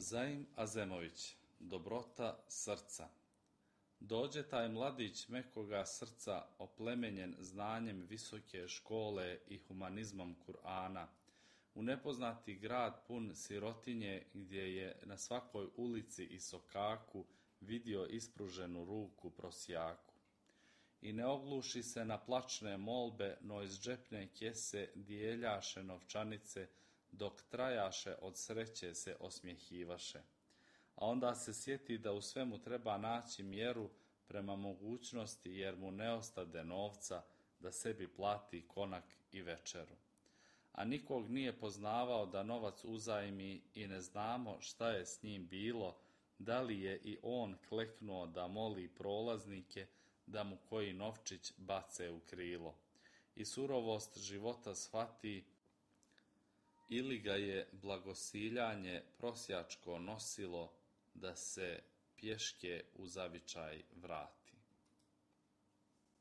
Zaim Azemović, dobrota srca. Dođe taj mladić mekoga srca, oplemenjen znanjem visoke škole i humanizmom Kur'ana, u nepoznati grad pun sirotinje gdje je na svakoj ulici i sokaku vidio ispruženu ruku prosjaku. I ne ogluši se na plačne molbe, no iz džepne kjese dijeljaše novčanice, dok trajaše od sreće se osmjehivaše. A onda se sjeti da u svemu treba naći mjeru prema mogućnosti, jer mu ne ostade novca da sebi plati konak i večeru. A nikog nije poznavao da novac uzajmi i ne znamo šta je s njim bilo, da li je i on kleknuo da moli prolaznike da mu koji novčić bace u krilo. I surovost života shvati, ili ga je blagosiljanje prosjačko nosilo da se pješke u zavičaj vrati.